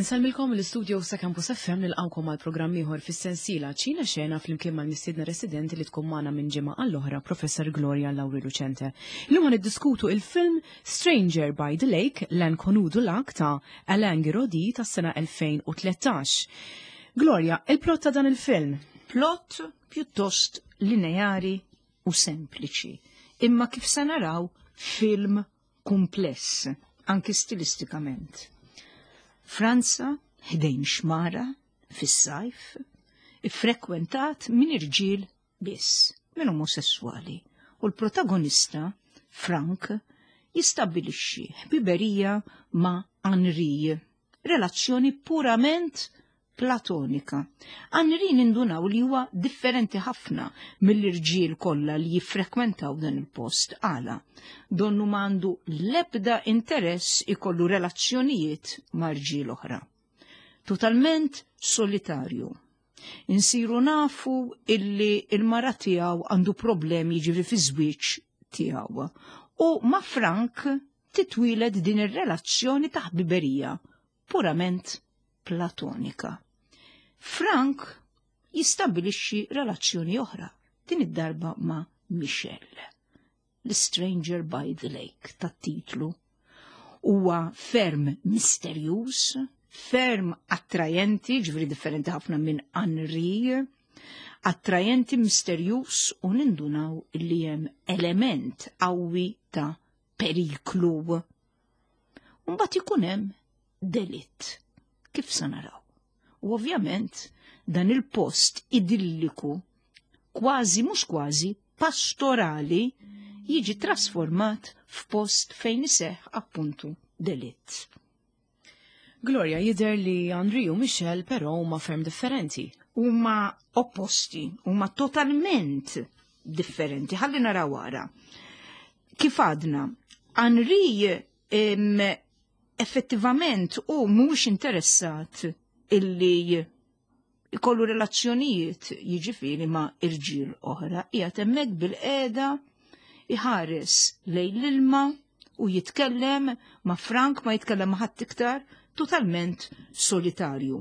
Insellmilkom l-istudio sa Campus FM nilqawkom għal programm ieħor fis-sensiela Ċina Xena flimkien mal-mistiedna residenti li tkun magħna minn ġimgħa għall-oħra Professor Gloria Lauri Lucente. Illum ħa niddiskutu il-film Stranger by the Lake, L'Inconnu du Lac ta' Alain Girodi tas-sena 2013. Gloria, il-plot ta' dan il-film? Plot pjuttost lineari u sempliċi, imma kif se naraw film kumpless, anki stilistikament. Franza, ħdejn xmara, fis-sajf, iffrekwentat minn irġiel biss, minn omosessuali, u l-protagonista, Frank, jistabbilixxi ħbiberija ma' Henri, relazzjoni purament platonika. Henri nindunaw li huwa differenti ħafna mill-irġiel kollha li jiffrekwentaw dan il-post għala. Donnu m'għandu l-ebda interess ikollu relazzjonijiet ma' rġiel oħra. Totalment solitarju. Insiru nafu illi il-mara tiegħu għandu problemi jiġifieri fi żwieġ tiegħu. U ma' Frank titwieled din ir-relazzjoni ta' ħbiberija purament platonika. Frank jistabbilixxi relazzjoni oħra, din id-darba ma' Michelle, l-Stranger by the Lake tat-titlu. Huwa ferm misterjuż, ferm attrajenti, ġifieri differenti ħafna minn Henri, attrajenti misterjuż u nindunaw li hemm element qawwi ta' periklu. Mbagħad ikun hemm delitt, kif se naraw. U ovvjament dan il-post idilliku, kważi mhux kważi pastorali, jiġi trasformat f'post fejn iseħħ appuntu delitt. Gloria, jidher li Henri u Michelle però huma ferm differenti. Huma opposti, huma totalment differenti. Ħalli naraw wara. Kif għadna, Henri effettivament u mhux interessat illi ikollu relazzjonijiet jiġifieri ma' irġiel oħra, qiegħed hemmhekk bil-qiegħda iħares lejn l-ilma u jitkellem ma' Frank, ma jitkellem ma' ħadd iktar, totalment solitarju.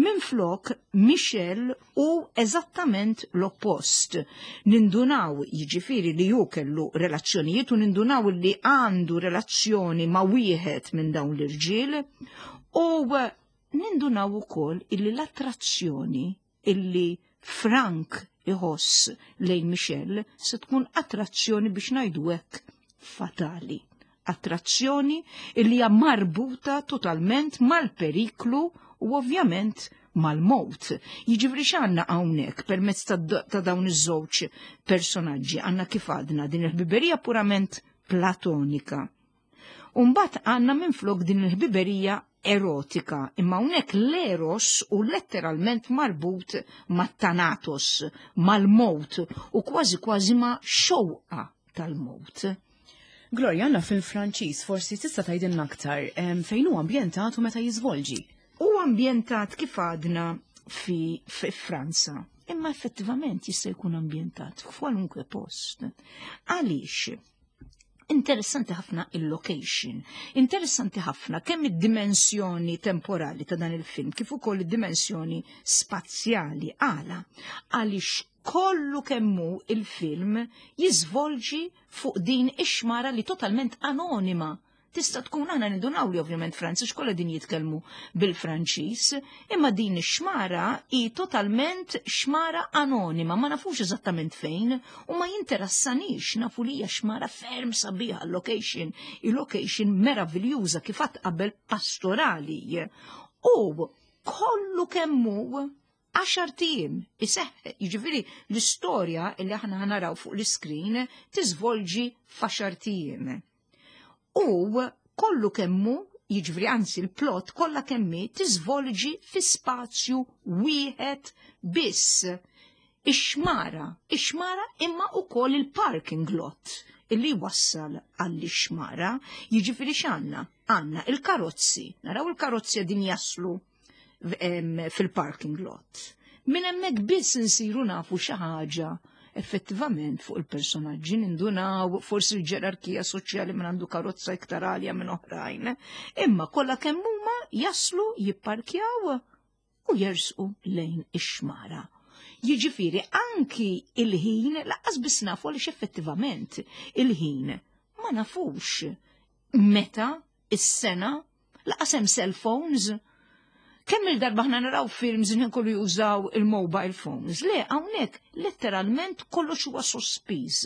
Minflok, Michel hu eżattament l-oppost. Nindunaw jiġifieri li hu kellu relazzjonijiet u nindunaw li għandu relazzjoni ma' wieħed minn dawn l-irġiel u nindunaw ukoll illi l-attrazzjoni illi Frank iħoss lejn Michelle se tkun attrazzjoni biex ngħidu hekk fatali. Attrazzjoni illi hija marbuta totalment mal-periklu u ovvjament mal-mowt. Jiġifieri x'għandna hawnhekk permezz ta' dawn iż-żewġ personaġġi għandna kif għadna din il-ħbiberija purament platonika. Umbagħad għandna minflok din il-ħbiberija erotika, imma hawnhekk l-eros u letteralment marbut mat-thanatos, mal-mowt u kważi kważi ma' xewqa tal-mowt. Gloria, għandna fil-Franċiż, forsi tista' tgħidilna aktar fejn hu ambjentat u meta jiżvolġi. Hu ambjentat kif għadna fi Franza, imma effettivament jista' jkun ambjentat f'kwalunkwe post. Għaliex? Interessanti ħafna il-location, interessanti ħafna kemm id-dimensjoni temporali ta' dan il-film kif ukoll id-dimensjoni spazjali. Għala, għaliex kollu kemmu il-film jiżvolġi fuq din ix-xmara li totalment anonima. Tista' tkun aħna nindunaw li ovvjament Franċiż kollha din jitkellmu bil-Franċiż, imma din ix-xmara hi totalment xmara anonima, ma nafux eżattament fejn u ma jinterassanix, nafu li hija xmara ferm sabiħa location, il-location meraviljuża kif għad qabel pastorali. U kollu kemmu 10 ijiem iseħħ, jiġifieri l-istorja li aħna naraw fuq l-iskrin tiżvolġi f'għaxar ijiem. U kollu kemmu, jiġifieri anzi l-plot kollha kemmi tiżvolġi fi spazju wieħed biss. Ix-xmara, ix-xmara imma ukoll il-parking lot illi wassal għall-xmara, jiġifieri x'għandna? Għandna il-karozzi, naraw il-karozzi din jaslu fil-parking lot. Minn hemmhekk biss insiru nafu xi ħaġa effettivament fuq il-personaġġi, nindunaw forsi l-ġerarkija soċjali minn għandu karozza iktar għalja minn oħrajn. Imma kollha kemm huma jaslu jipparkjaw u jersqu lejn ix-xmara. Jiġifieri anki il-ħin laqqas biss nafu għaliex effettivament il-ħin ma nafux meta is-sena laqas hemm cell phones. Kemm il-darba ħna naraw films li kollu jużaw il-mobile phones. Le, hawnhekk letteralment kollox huwa sospiż,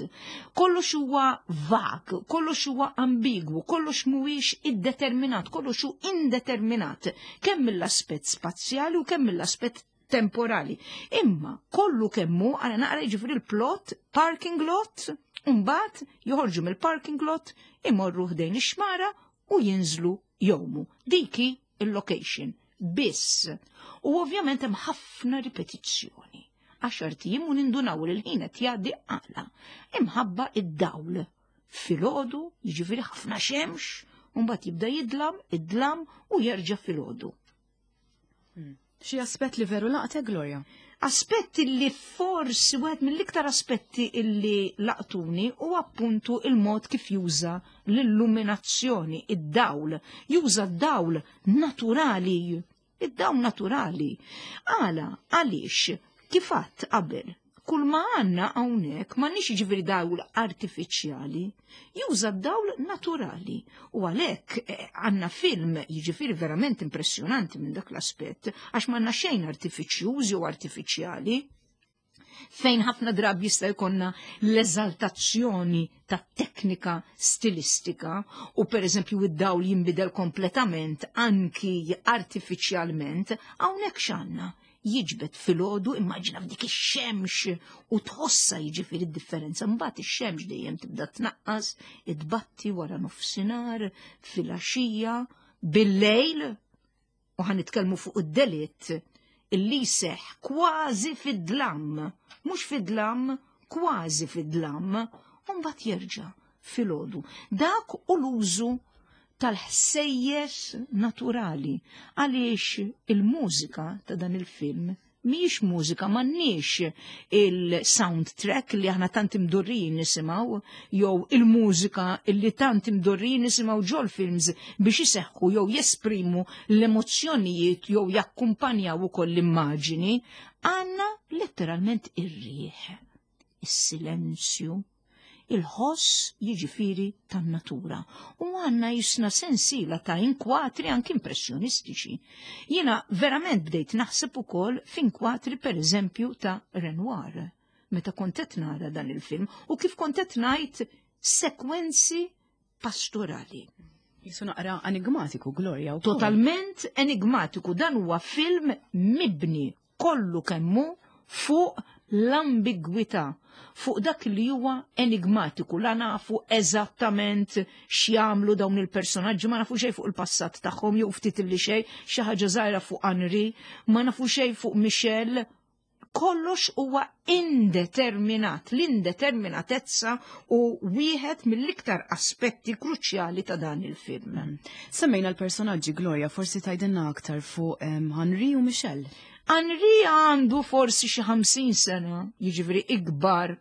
kollox huwa vag, kollox huwa ambigwu, kollox mhuwiex iddeterminat, kollox hu indeterminat, kemm mill-aspett spazjali u kemm mill-aspett temporali. Imma kollu kemmu għana naqra jiġifieri l-plot, parking lot, mbagħad joħorġu mill-parking lot, imorru ħdejn ix-xmara u jinżlu jomu. Diki il-location biss. U ovvjament hemm ħafna ripetizzjoni. Għaxar tijiem u nindunaw li l-ħin qed jgħaddi għala. Imħabba id-dawl. Filgħodu, jiġifieri ħafna xemx, u mbagħad jibda jidlam, id-dlam u jerġa' filgħodu. Xi aspett li veru laqtek, Gloria? Aspett li forsi wieħed mill-iktar aspetti illi laqtuni u appuntu il-mod kif juża l-illuminazzjoni, id-dawl. Juża d-dawl naturali. Id-dawl naturali. Għala, għaliex, kif għadt qabel, kull ma għandna hawnhekk m'għandniex jiġifieri dawl artifiċjali, juża d-dawl naturali. U għalhekk eh, għandna film jiġifieri verament impressjonanti minn dak l-aspett, għax m'għandna xejn artifiċjuż jew artifiċjali fejn ħafna drabi jista' jkollna l-eżaltazzjoni ta' teknika stilistika u per eżempju id-dawl jinbidel kompletament anki artifiċjalment, hawnhekk x'għandna jiġbed filgħodu immaġina f'dik ix-xemx u tħossha jiġifieri d-differenza. Mbagħad ix-xemx dejjem tibda tnaqqas, itbatti wara nofsinhar, filgħaxija, bil-lejl u ħa nitkellmu fuq id-delitt illi jseħħ kważi fid-dlam, mhux fid-dlam, kważi fid-dlam, u mbagħad jerġa' filgħodu. Dak u l-użu tal-ħsejjes naturali għaliex il-mużika ta' dan il-film mhijiex mużika, m'għandniex il-soundtrack li aħna tant imdorrijin nisimgħu jew il-mużika li tant imdorrijin nisimgħu ġol films biex iseħħu jew jesprimu l-emozzjonijiet jew jakkumpanjaw ukoll l-immaġini, għandna letteralment ir-riħ, is-silenzju, il-ħoss jiġifieri tan-natura. U għandna jisna sensiela ta' inkwatri anki impressjonistiċi. Jiena verament bdejt naħseb ukoll f'inkwatri pereżempju ta' Renoir meta kont qed nara dan il-film u kif kont qed ngħid sekwenzi pastorali. Jisu naqra enigmatiku, Gloria. Totalment enigmatiku, dan huwa film mibni kollu kemm hu fuq l-ambigwità, fuq dak li huwa enigmatiku, la nafu eżattament x'jagħmlu dawn il-personaġġi, ma nafu xejn fuq il-passat tagħhom jew ftit li xejn, xi ħaġa żgħira fuq Henri, ma nafu xejn fuq Michel, kollox huwa indeterminat, l-indeterminatezza u wieħed mill-iktar aspetti kruċjali ta' dan il-film. Mm. Semmejna l-personaġġi Gloria, forsi tajdinna aktar fuq Henri u Michelle. Henri għandu forsi xi 50 sena, jiġifieri ikbar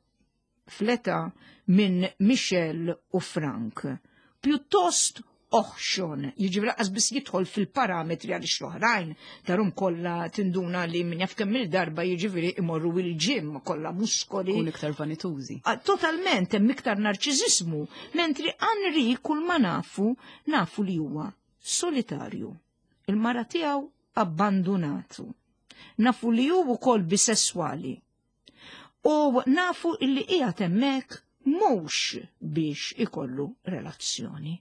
fl-età minn Michel u Frank. Pjuttost oħxon, jiġifieri lanqas biss jidħol fil-parametri għaliex l-oħrajn tarum kollha tinduna li min jaf kemm il-darba jiġifieri imorru il-ġim kollha muskoli. Kun iktar vanitużi. Ah, totalment hemm iktar narċiżismu, mentri Henri kull ma nafu, nafu li huwa solitarju. Il-mara tiegħu abbandunatu. Nafu li hu wkoll bisesswali. U nafu illi qiegħed hemmhekk mhux biex ikollu relazzjoni.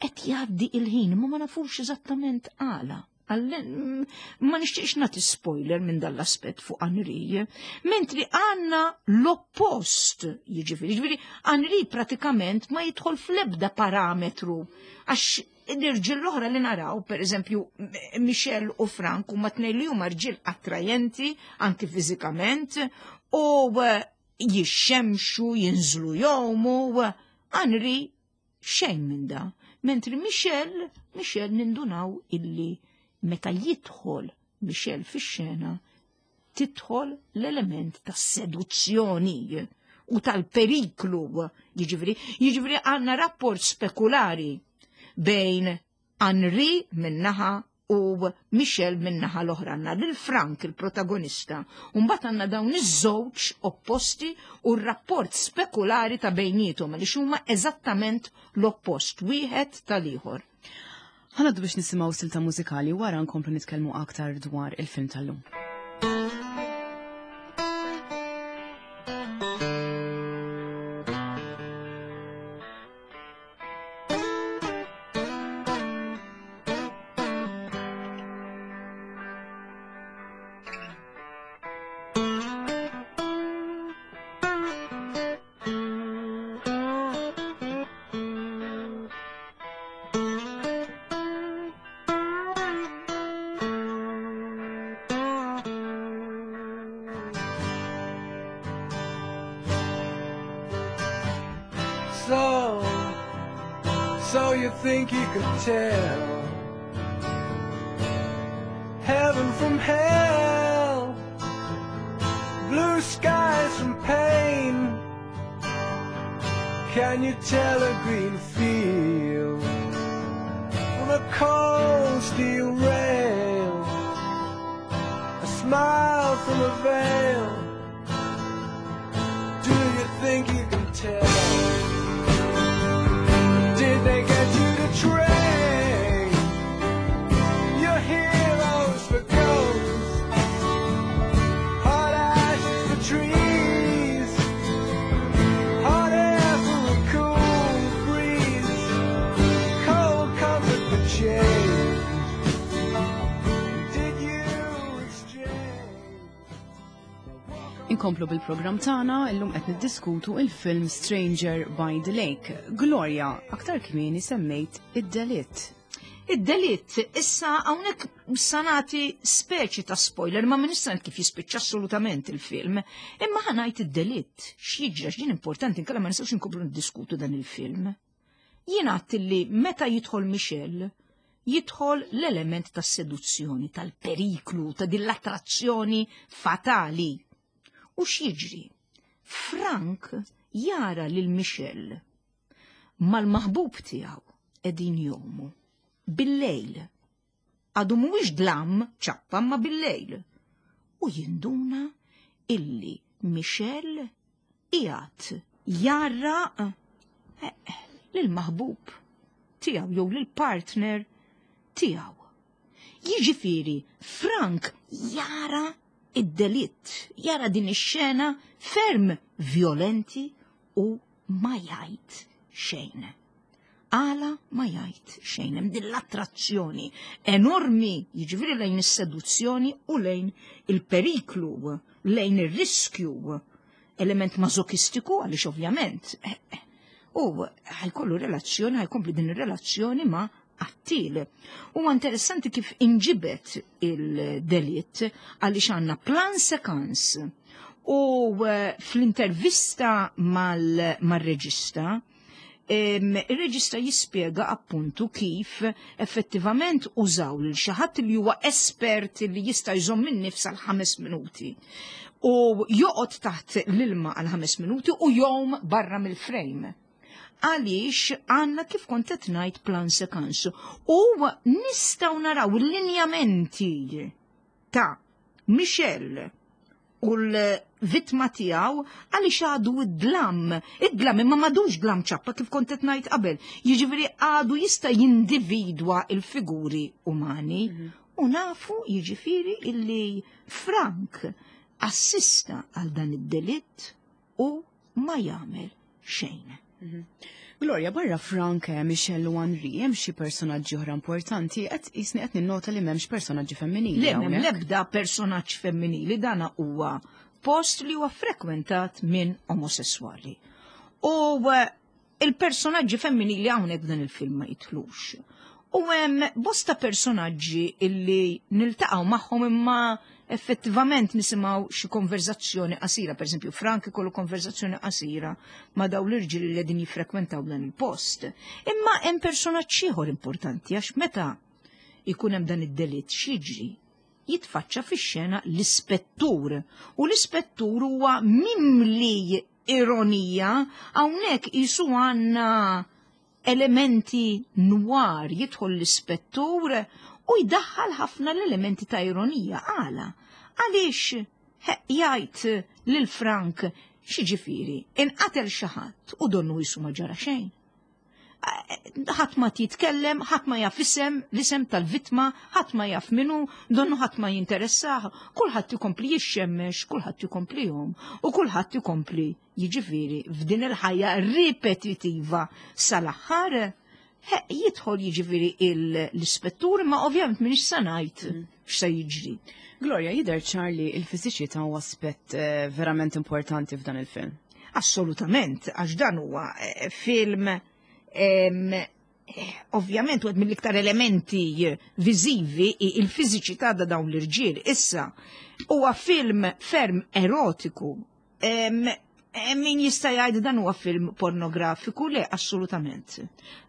Qed jgħaddi il-ħin ma ma nafux eżattament għala. Ma nixtieqx nagħti spoiler minn dal-aspett fuq Henri, mentri għandna l-oppost, jiġifieri, jiġifieri Henri pratikament ma jidħol fl-ebda parametru għax l-irġiel l-oħra li naraw, per eżempju, Michel u Frank, huma tnejn li huma rġiel attrajenti, anki fiżikament, u eh, jixxemxu, jinżlu jomu, Henri xejn minn da. Mentri Michel, Michel nindunaw illi meta jidħol Michel fix-xena, tidħol l-element ta' seduzzjoni u tal-periklu, jiġifieri, jiġifieri għandna rapport spekulari bejn Henri minnaħa u Michel min-naħa l-oħra għandna lil Frank il-protagonista u mbagħad għandna dawn iż-żewġ opposti u r-rapport spekulari ta' bejniethom għaliex huma eżattament l-oppost wieħed tal-ieħor. Ħanaddu biex nisimgħu silta mużikali wara nkomplu nitkellmu aktar dwar il-film tal-lum. So, so you think you could tell heaven from hell, blue skies from pain? Can you tell a green field from a cold steel rail? A smile from a veil. Do you think you can tell? Did they get you to trade your heroes for ghosts? Hot ashes for trees, hot air for a cool breeze, cold comfort for change. Did you exchange? Inkomplu bil-programm tagħna illum qed niddiskutu il-film Stranger by the Lake. Gloria, aktar kmieni semmejt id-delitt. Id-delitt, issa hawnhekk sanati speċi ta' spoiler, ma nista' kif jispiċċa assolutament il-film, imma ħa ngħid id-delitt, x'jiġri għax din importanti inkella ma nistgħux inkomplu niddiskutu dan il-film. Jien għedt li meta jidħol Michel, jidħol l-element tas seduzzjoni, tal-periklu, ta' din l-attrazzjoni fatali. U x'jiġri? Frank jara lil Michel mal-maħbub tiegħu qegħdin jgħumu bil-lejl. Għadu mhuwiex dlam ċappa ma bil-lejl. U jinduna illi Michel qiegħed jara lil maħbub tiegħu jew lil partner tiegħu. Jiġifieri Frank jara id-delitt, jara din ix-xena ferm violenti u ma jgħid xejn. Għala ma jgħid xejn, hemm din l-attrazzjoni enormi, jiġifieri lejn is-seduzzjoni u lejn il-periklu, lejn ir-riskju, element mażokistiku għaliex ovvjament u ħa jkollu relazzjoni, ħa jkompli din ir-relazzjoni ma' qattil. U interessanti kif inġibet il-delitt għaliex għandna plan séquence u fl-intervista mal-reġista, il-reġista jispjega appuntu kif effettivament użaw lil xi ħadd li huwa espert li jista' jżomm in-nifs għal 5 minuti. U joqgħod taħt l-ilma għal 5 minuti u jgħum barra mill-frame. Għaliex għandna kif kont qed ngħid plan séquence u nistgħu naraw il-linjamenti ta' Michel u l-vittma tiegħu għaliex għadu id-dlam. Id-dlam imma m'għadux dlam ċappa kif kont qed ngħid qabel. Jiġifieri għadu jista' jindividwa il-figuri umani. U nafu jiġifieri illi Frank assista għal dan id-delitt u ma jagħmel xejn. Gloria, barra Frank, Michel u Henri, hemm xi personaġġi oħra importanti, qed jisni qed ninnota li m'hemmx personaġġi femminili. Le, m'hemm hawnhekk. l-ebda personaġġ femminili, dana huwa post li huwa frekwentat minn omosessuali. U il-personaġġi femminili hawnhekk dan il-film ma jitlux. U hemm bosta personaġġi illi niltaqgħu magħhom imma effettivament nisimgħu xi konverzazzjoni qasira, per esempio Frank ikollu konverzazzjoni qasira ma' daw l-irġiel li qegħdin jiffrekwentaw dan il-post. Imma hemm personaġġ ieħor importanti għax meta ikun hemm dan id-delitt x'jiġri? Jitfaċċa fix-xena l-ispettur u l-ispettur huwa mimli ironija hawnhekk qisu għandna elementi noir jidħol l-ispettur. U jdaħħal ħafna l-elementi ta' ironija għala. Għaliex jgħid lil Frank x'jiġifieri, inqatel xi ħadd u donnu jisu ma ġara xejn. Ħadd ma jitkellem, ħadd ma jaf isem, l-isem tal-vittma, ħadd ma jaf minu, donnu ħadd ma jinteressah, kulħadd ikompli jixxemmex, kulħadd ikompli jom, u kulħadd ikompli jiġifieri f'din il-ħajja ripetitiva sal-aħħar jidħol jiġifieri l-ispettur, ma ovvjament minix sa ngħid x'se jiġri. Gloria, jidher ċar li l-fiżiċità huwa aspett eh, verament importanti f'dan il-film. Assolutament, għax dan huwa eh, film eh, ovvjament wieħed mill-iktar elementi viżivi il-fiżiċità da dawn l-irġiel. Issa huwa film ferm erotiku. Min jista' jgħid dan huwa film pornografiku? Le, assolutament.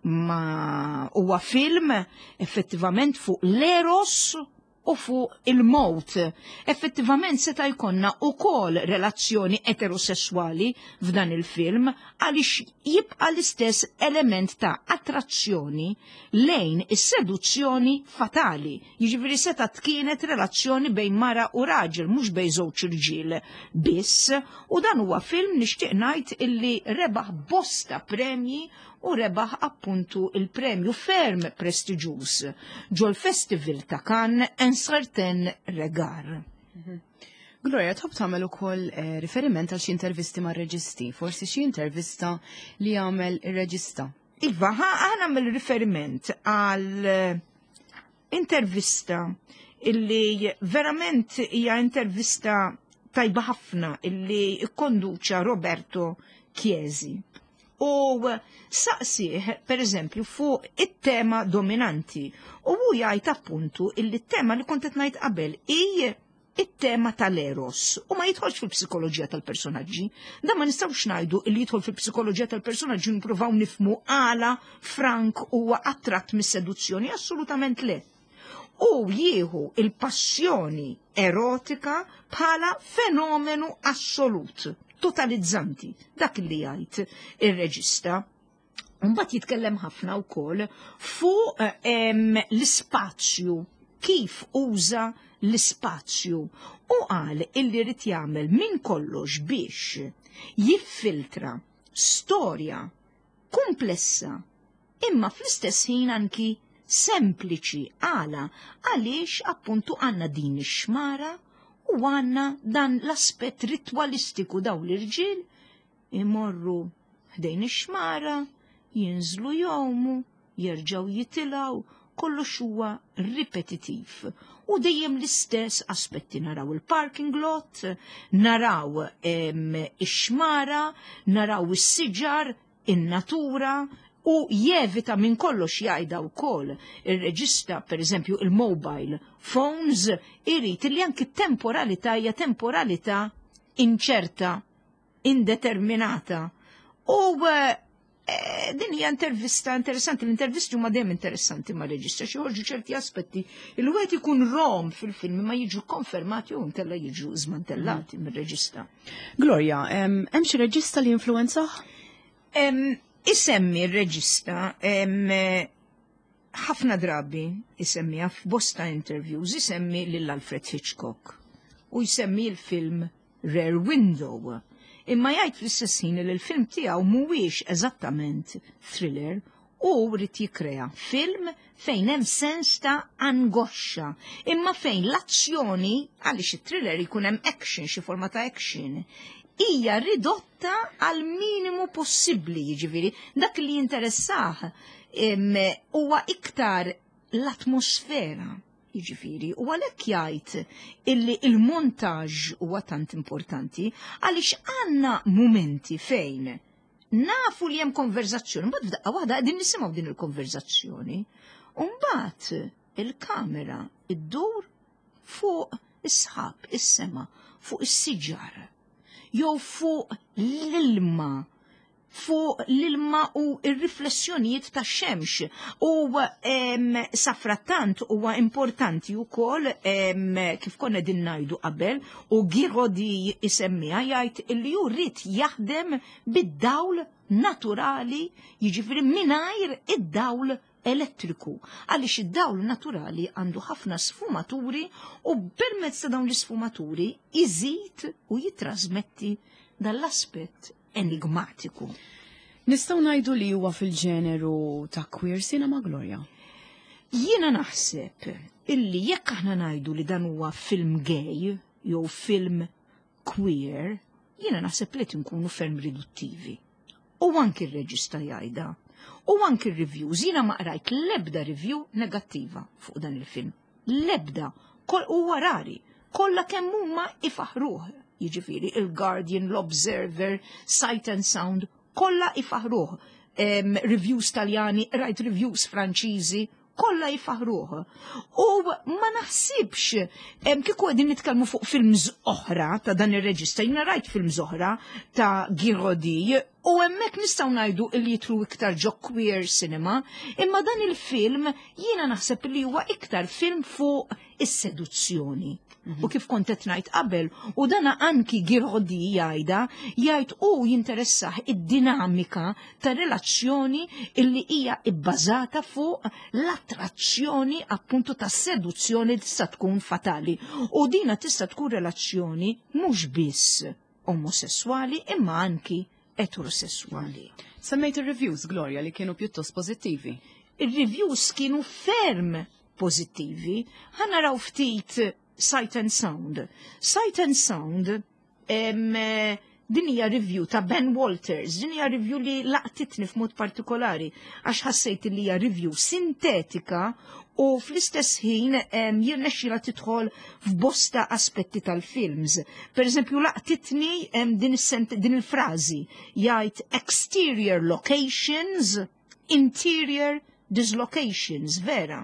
Ma huwa film effettivament fuq l-eros u fuq il-mowt. Effettivament seta' jkollna wkoll relazzjoni eterosessuali f'dan il-film għaliex jibqa' l-istess element ta' attrazzjoni lejn is-seduzzjoni fatali. Jiġifieri seta' kienet relazzjoni bejn mara u raġel, mhux bejn żewġ irġiel biss, u dan huwa film nixtieq ngħid illi rebaħ bosta premji u rebaħ appuntu il-premju ferm prestiġjuż ġol-Festival ta' Cannes Un Certain Regard. Gloria, tħobb tagħmel ukoll eh, riferiment għal xi intervisti mar-reġisti, forsi xi intervista li jagħmel ir-reġista. Iva, ħa nagħmel riferiment għal eh, intervista illi verament hija intervista tajba ħafna illi ikkonduċa Roberto Chiesi. U saqsih, per eżempju, fuq it-tema dominanti. U hu jgħid appuntu illi t-tema li kont qed ngħid qabel hi it-tema tal-eros u ma jidħolx fil-psikoloġija tal-personaġġi. Dan ma nistgħux ngħidu li jidħol fil-psikoloġija tal-personaġġi nippruvaw nifmu għala Frank huwa attratt mis-seduzzjoni, assolutament le. U jieħu il-passjoni erotika bħala fenomenu assolut, totalizzanti, dak li jgħid ir-reġista. Mbagħad jitkellem ħafna wkoll fuq l-ispazju, kif uża l-ispazju u qal illi rid jagħmel minn kollox biex jiffiltra storja komplessa imma fl-istess ħin anki sempliċi għala għaliex appuntu għandna din ix-xmara u għandna dan l-aspett ritwalistiku daw l-irġiel imorru ħdejn ix-xmara, jinżlu jgħumu, jerġgħu jitilgħu, kollox huwa ripetitiv. U dejjem l-istess aspetti naraw il-parking lot, naraw ix-xmara, naraw is-siġar, in-natura, u jevita minn kollox jgħidha wkoll ir-reġista, per eżempju, il-mobile phones, irid li anki temporalità hija temporalità inċerta, indeterminata. U eh, din hija intervista interessanti, l-intervisti huma dejjem interessanti ma' reġista, xi joħorġu ċerti aspetti il wieħed ikun rom fil-film ma jiġu konfermati u nkella jiġu żmantellati mir-reġista. Gloria, hemm xi reġista li influenzah? Isemmi r-reġista ħafna drabi isemmiha f'bosta interviews, isemmi lil Alfred Hitchcock u jsemmi l-film Rear Window. Imma jgħid fl-istess ħin li l-film tiegħu mhuwiex eżattament thriller u rrid jikkrea film fejn hemm sens ta' angoxxa, imma fejn l-azzjoni, għaliex it-thriller jkun hemm action, xi forma ta' action, hija ridotta għal minimu possibbli, jiġifieri dak li jinteressah huwa iktar l-atmosfera. Jiġifieri, u għalhekk jgħid illi il-montaġġ huwa tant importanti għaliex għandna mumenti fejn nafu li hemm konverzazzjoni, mbagħad f'daqqa waħda qegħdin nisimgħu din il-konverzazzjoni, u mbagħad il-kamera iddur fuq is-sħab, is-sema, fuq is-siġar, jew fuq l-ilma fuq l-ilma u r-riflessjonijiet ta' xemx. U safrattant huwa importanti wkoll kif konna din ngħidu qabel u Girodi isemmiha jgħid li hu rrid jaħdem bid-dawl naturali, jiġifieri mingħajr id-dawl elettriku għaliex id-dawl naturali għandu ħafna sfumaturi u permezz ta' dawn l-isfumaturi iżid u jitrasmetti dal-aspett enigmatiku. Nistgħu ngħidu li huwa fil-ġeneru ta' queer cinema, Gloria? Jiena naħseb illi jekk aħna ngħidu li dan huwa film gay jew film queer, jiena naħseb li tinkunu ferm riduttivi. U anki r-reġista jgħidha. U anki r-reviews, jiena ma qrajt l-ebda review negattiva fuq dan il-film. L-ebda, huwa rari, kollha kemm huma ifaħruh. Jiġifieri il-Guardian, l-Observer, Sight and Sound, kollha ifaħruh. Reviews Taljani, rajt reviews Franċiżi, kollha jfaħruh. U ma naħsibx kieku qegħdin nitkellmu fuq films oħra ta' dan ir-reġista, jiena rajt films oħra ta' Girodi u hemmhekk nistgħu ngħidu li jitlu iktar ġo queer cinema, imma dan il-film jiena naħseb li huwa iktar film fuq is-seduzzjoni. U kif kont qed ngħid qabel, u dana anki Girodi jgħidha, jgħid u jinteressah id-dinamika ta' relazzjoni illi hija ibbażata fuq l-attrazzjoni appuntu ta' seduzzjoni li tista' tkun fatali. U dina tista' tkun relazzjoni mhux biss omosessuali imma anki eterosessuali. Semmejt ir-reviews, Gloria, li kienu pjuttost pożittivi. Ir-reviews kienu ferm pożittivi. Ħa naraw ftit Sight and Sound. Sight and Sound din hija review ta' Ben Walters, din hija review li laqtitni f'mod partikolari għax ħassejt li hija review sintetika u fl-istess ħin jirnexxila tidħol f'bosta aspetti tal-films. Per eżempju, laqtitni din il-frażi jgħid exterior locations, interior dislocations, vera.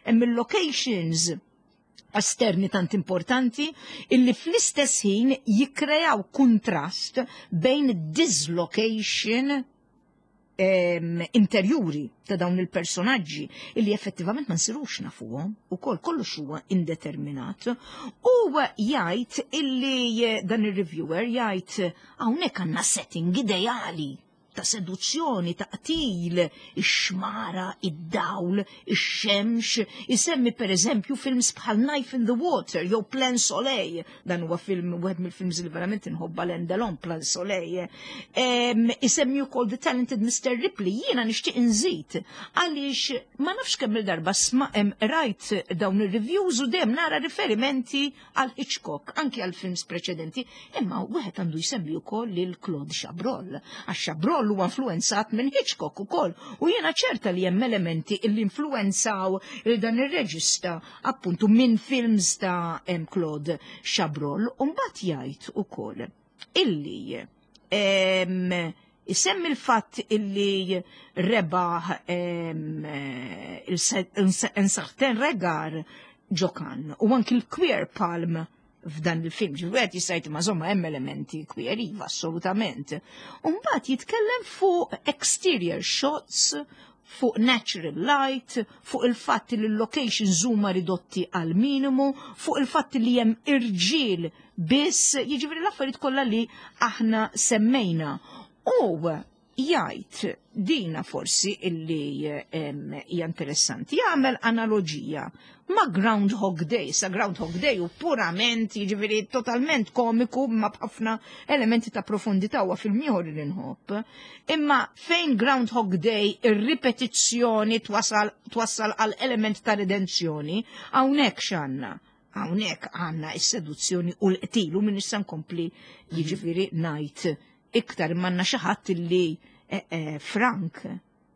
Hemm il-locations esterni tant importanti illi fl-istess ħin jikkrejaw kontrast bejn dislocation interjuri ta' dawn il-personaġġi illi effettivament ma nsirux nafuhom ukoll kollox huwa indeterminat. U jgħid illi dan ir-reviewer jgħid hawnhekk għandna setting ideali ta' seduzzjoni, ta' qtil, ix-xmara, id-dawl, ix-xemx, isemmi per eżempju films bħal Knife in the Water jew Plein Soleil, dan huwa film wieħed mill-films li verament inħobba Alain Delon, Plein Soleil. Isemmi wkoll The Talented Mr. Ripley, jiena nixtieq inżid għaliex ma nafx kemm il-darba rajt dawn ir-reviews u dejjem nara riferimenti għal Hitchcock, anki għal films preċedenti, imma wieħed għandu jsemmi wkoll lil Claude Chabrol, għax Chabrol huwa influenzat minn Hitchcock ukoll, u jiena ċerta li hemm elementi li influenzaw il dan ir-reġista appuntu minn films ta' Claude Chabrol, u mbagħad jgħid ukoll illi isemmi l-fatt illi rebaħ Un Certain Regard ġo Cannes u anki l-Queer Palm f'dan il-film. Ġifieri jista' ma żomma hemm elementi queer, iva, assolutament. U mbagħad jitkellem fuq exterior shots, fuq natural light, fuq il-fatt li l-locations huma ridotti għal minimu, fuq il-fatt li hemm irġiel biss, jiġifieri l-affarijiet kollha li aħna semmejna. U jgħid dina forsi illi hija interessanti, jagħmel analogija ma' Groundhog Day. Sa Groundhog Day u purament, jiġifieri totalment komiku ma b'ħafna elementi ta' profondità huwa film ieħor li nħobb. Imma fejn Groundhog Day ir-ripetizzjoni twassal għal element ta' redenzjoni, hawnhekk x'għandna? Hawnhekk għandna is-seduzzjoni u l-qtil u minn issa nkompli jiġifieri ngħid iktar manna xi ħadd illi Frank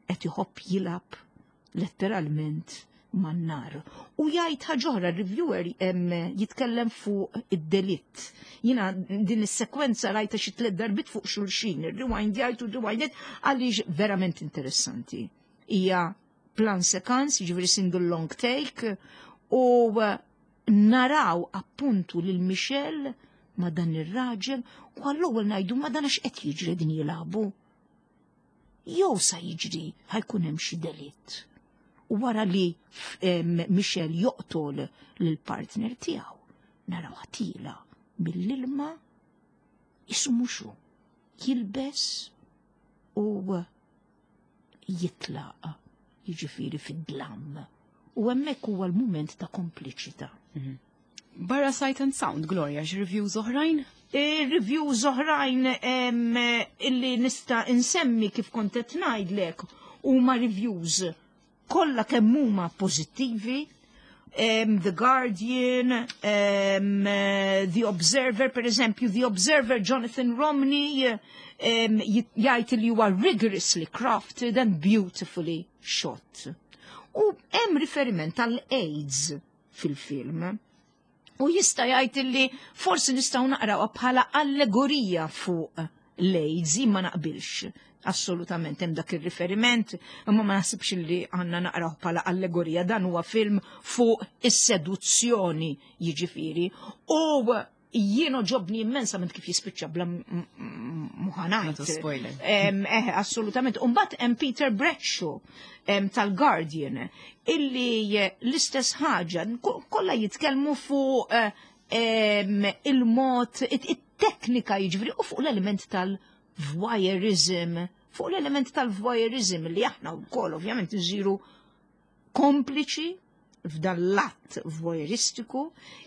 qed iħobb jilgħab letteralment man-nar. U jgħid ħaġa oħra, reviewer jitkellem fuq id-delitt. Jiena din is-sekwenza rajta xi tliet darbiet fuq xulxin, ir-rewind jgħid u rewind għaliex verament interessanti. Hija plan séquence, jiġifieri single long take, u naraw appuntu lil Michel ma dan ir-raġel u għall-ewwel ngħidu ma dan għax qed jiġri din jilagħbu. Jew sa jiġri ħa jkun hemm xi delitt. U wara li Michel joqtol lill-partner tiegħu, naraw ħatila mill-ilma isu muxu jilbes u jitlaq. jiġifieri fid-dlam. U hemmhekk huwa l-mument ta' kompliċità. Barra Sight and Sound, Gloria, x'reviews oħrajn? Reviews oħrajn illi nista' insemmi kif kont qed ngħidlek huma reviews kollha kemm huma pożittivi. The Guardian, The Observer, per eżempju, The Observer Jonathan Romney jgħid li huwa rigorously crafted and beautifully shot. U hemm riferiment għal AIDS fil-film. U jista' jgħid li forsi nistgħu naqrawha bħala allegorija fuq l-AIDS, ma naqbilx. Assolutament hemm dak ir-riferiment, imma ma naħsibx li għandna naqraw bħala allegorija, dan huwa film fuq is-seduzzjoni jiġifieri. U jien għoġobni immensament kif jispiċċa bla muħanajt. Spoiler. Assolutament. Umbagħad hemm Peter Bradshaw tal-Guardian illi l-istess ħaġa kollha jitkellmu fuq il-mod, it-teknika jiġifieri u fuq l-element tal-voyeurism, fuq l-element tal-voyeurism li aħna wkoll ovvjament nżiru kompliċi f'dan l-att voyeuristiku,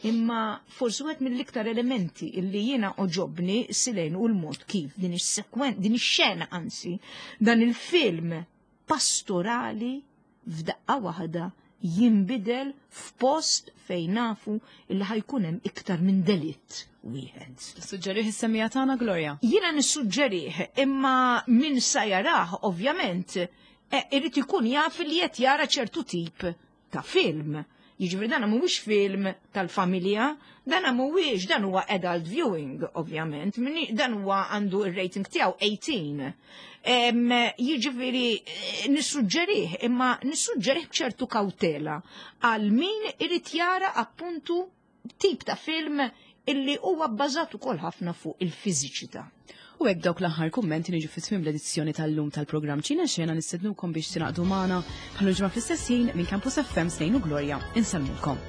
imma forsi wieħed mill-iktar elementi illi jiena għoġobni silejn u l-mod kif din is-sekwen, din ix-xena anzi, dan il-film pastorali f'daqqa waħda jinbidel f'post fejn nafu illi ħa jkun hemm iktar minn delitt wieħed. Tissuġġerih is-semmiegħa tagħna, Gloria? Jiena nissuġġerih, imma min sa jarah ovvjament irid ikun jaf li qed jara ċertu tip ta' film. Jiġifieri dan mhuwiex film tal-familja, dan mhuwiex, dan huwa adult viewing, ovvjament, dan huwa għandu ir-rating tiegħu 18. Jiġifieri nissuġġerih, imma nissuġġerih b'ċertu kawtela għal min irid jara appuntu tip ta' film illi huwa bbażat ukoll ħafna fuq il-fiżiċità. U hekk dawk l-aħħar kummenti niġu fi tmiem l-edizzjoni tal-lum tal-programm Ċina Xena. Nistednukom biex tingħaqdu magħna bħal ġimgħa fl-istess ħin minn Campus FM. Snejn u Gloria insellmulkom.